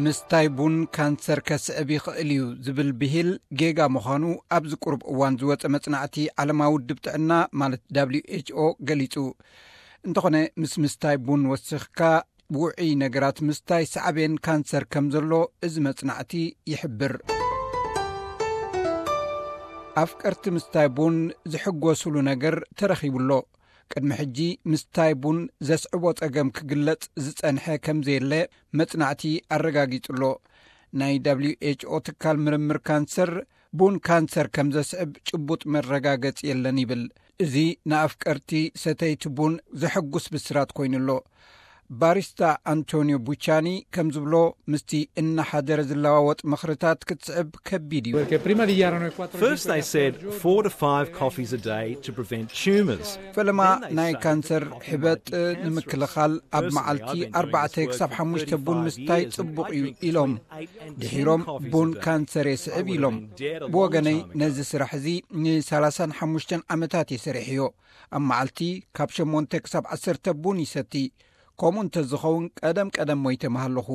ምስታይ ቡን ካንሰር ከስዕብ ይኽእል እዩ ዝብል ብሂል ጌጋ ምዃኑ ኣብዚ ቁሩብ እዋን ዝወጸ መጽናዕቲ ዓለማዊ ውድብ ጥዕና ማለት ደብሊው ኤች ኦ ገሊጹ። እንተኾነ ምስ ምስታይ ቡን ወሲኽካ ውዑይ ነገራት ምስታይ ሳዕቤን ካንሰር ከም ዘሎ እዚ መጽናዕቲ ይሕብር። ኣፍቀርቲ ምስታይ ቡን ዝሕጎስሉ ነገር ተረኺቡ ኣሎ። ቅድሚ ሕጂ ምስታይ ቡን ዘስዕቦ ጸገም ክግለጽ ዝጸንሐ ከም ዘየለ መጽናዕቲ ኣረጋጊጹ ኣሎ። ናይ ደብሊው ኤች ኦ ትካል ምርምር ካንሰር ቡን ካንሰር ከም ዘስዕብ ጭቡጥ መረጋገጺ የለን ይብል። እዚ ንኣፍቀርቲ ሰተይቲ ቡን ዘሐጉስ ብስራት ኮይኑ ኣሎ። ባሪስታ ኣንቶኒዮ ቡቻኒ ከም ዝብሎ ምስቲ እናሓደረ ዝለዋወጥ ምኽርታት ክትስዕብ ከቢድ እዩ። Perché prima dichiarano il quattro First, they said four to five coffees a day to prevent tumours. ፈለማ ናይ ካንሰር ሕበጥ ንምክልኻል ኣብ መዓልቲ ኣርባዕተ ክሳብ ሓሙሽተ ቡን ምስታይ ጽቡቕ እዩ ኢሎም። ድሒሮም ቡን ካንሰር የስዕብ ኢሎም። ብወገነይ ነዚ ስራሕ እዚ ን35 ዓመታት እየ ሰሪሐዮ። ኣብ መዓልቲ ካብ ሸሞንተ ክሳብ ዓሰርተ ቡን ይሰቲ። ከምኡ እንተዝኸውን ቀደም ቀደም ሞይተ ምሃለኹ።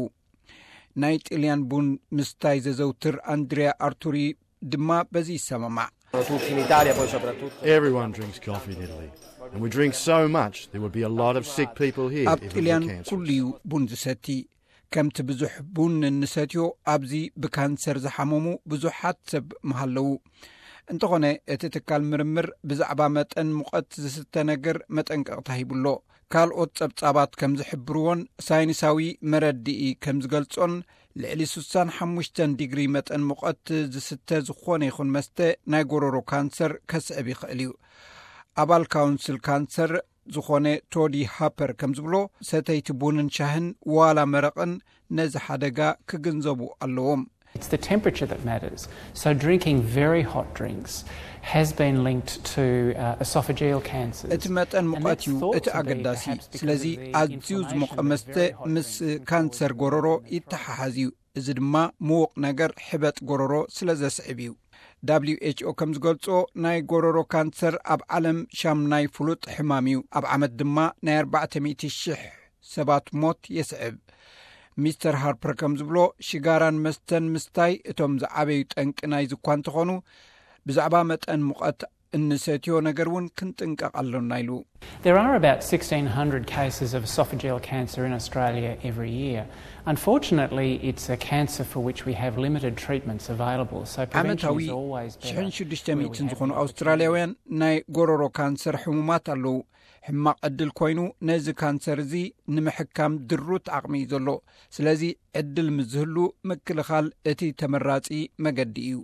ናይ ጥልያን ቡን ምስታይ ዘዘውትር ኣንድሪያ ኣርቱሪ ድማ በዚ ይሰማማዕ። Tutti in Italia, poi soprattutto. Everyone drinks coffee in Italy, and we drink so much there would be a lot of sick people here ኣብ if it ጥልያን were cancer. ኩሉ እዩ ቡን ዝሰቲ። ከምቲ ብዙሕ ቡን እንሰትዮ ኣብዚ ብካንሰር ዝሓመሙ ብዙሓት ሰብ ምሃለዉ። እንተኾነ እቲ ትካል ምርምር ብዛዕባ መጠን ሙቐት ዝስተ ነገር መጠንቀቕታ ሂቡሎ። ካልኦት ጸብጻባት ከም ዝሕብርዎን ሳይንሳዊ መረድኢ ከም ዝገልጾን ልዕሊ ሱሳን ሓሙሽተን ዲግሪ መጠን ሙቐት ዝስተ ዝኾነ ይኹን መስተ ናይ ጎረሮ ካንሰር ከስዕብ ይኽእል እዩ። ኣባል ካውንስል ካንሰር ዝኾነ ቶዲ ሃፐር ከም ዝብሎ ሰተይቲ ቡንን ሻህን ዋላ መረቕን ነዚ ሓደጋ ክግንዘቡ ኣለዎም። It's the temperature that matters. So drinking very hot drinks has been linked to uh, esophageal cancers. እቲ መጠን ሙቐት እዩ እቲ ኣገዳሲ። ስለዚ ኣዝዩ ዝሞቐ መስተ ምስ ካንሰር ጎረሮ ይተሓሓዝ እዩ። እዚ ድማ ምዉቕ ነገር ሕበጥ ጎረሮ ስለ ዘስዕብ እዩ። ደብሊው ኤች ኦ ከም ዝገልጾ ናይ ጎረሮ ካንሰር ኣብ ዓለም ሻምናይ ፍሉጥ ሕማም እዩ። ኣብ ዓመት ድማ ናይ ኣርባዕተ ሚእቲ ሽሕ ሰባት ሞት የስዕብ። ሚስተር ሃርፐር ከም ዝብሎ ሽጋራን መስተን ምስታይ እቶም ዝዓበዩ ጠንቂ ናይዚ እኳ እንተኾኑ ብዛዕባ መጠን ሙቐት እንሰትዮ ነገር እውን ክንጥንቀቕ ኣሎና ኢሉ። There are about sixteen hundred cases of esophageal cancer in Australia every year. Unfortunately, it's a cancer for which we have limited treatments available, so prevention ዓመታዊ is always better. ሽሕን ሽዱሽተ ሚእትን ዝኾኑ ኣውስትራልያውያን ናይ ጎረሮ ካንሰር ሕሙማት ኣለዉ። ሕማቕ ዕድል ኮይኑ ነዚ ካንሰር እዚ ንምሕካም ድሩት ዓቕሚ እዩ ዘሎ። ስለዚ ዕድል ምስ ዝህሉ ምክልኻል እቲ ተመራጺ መገዲ እዩ።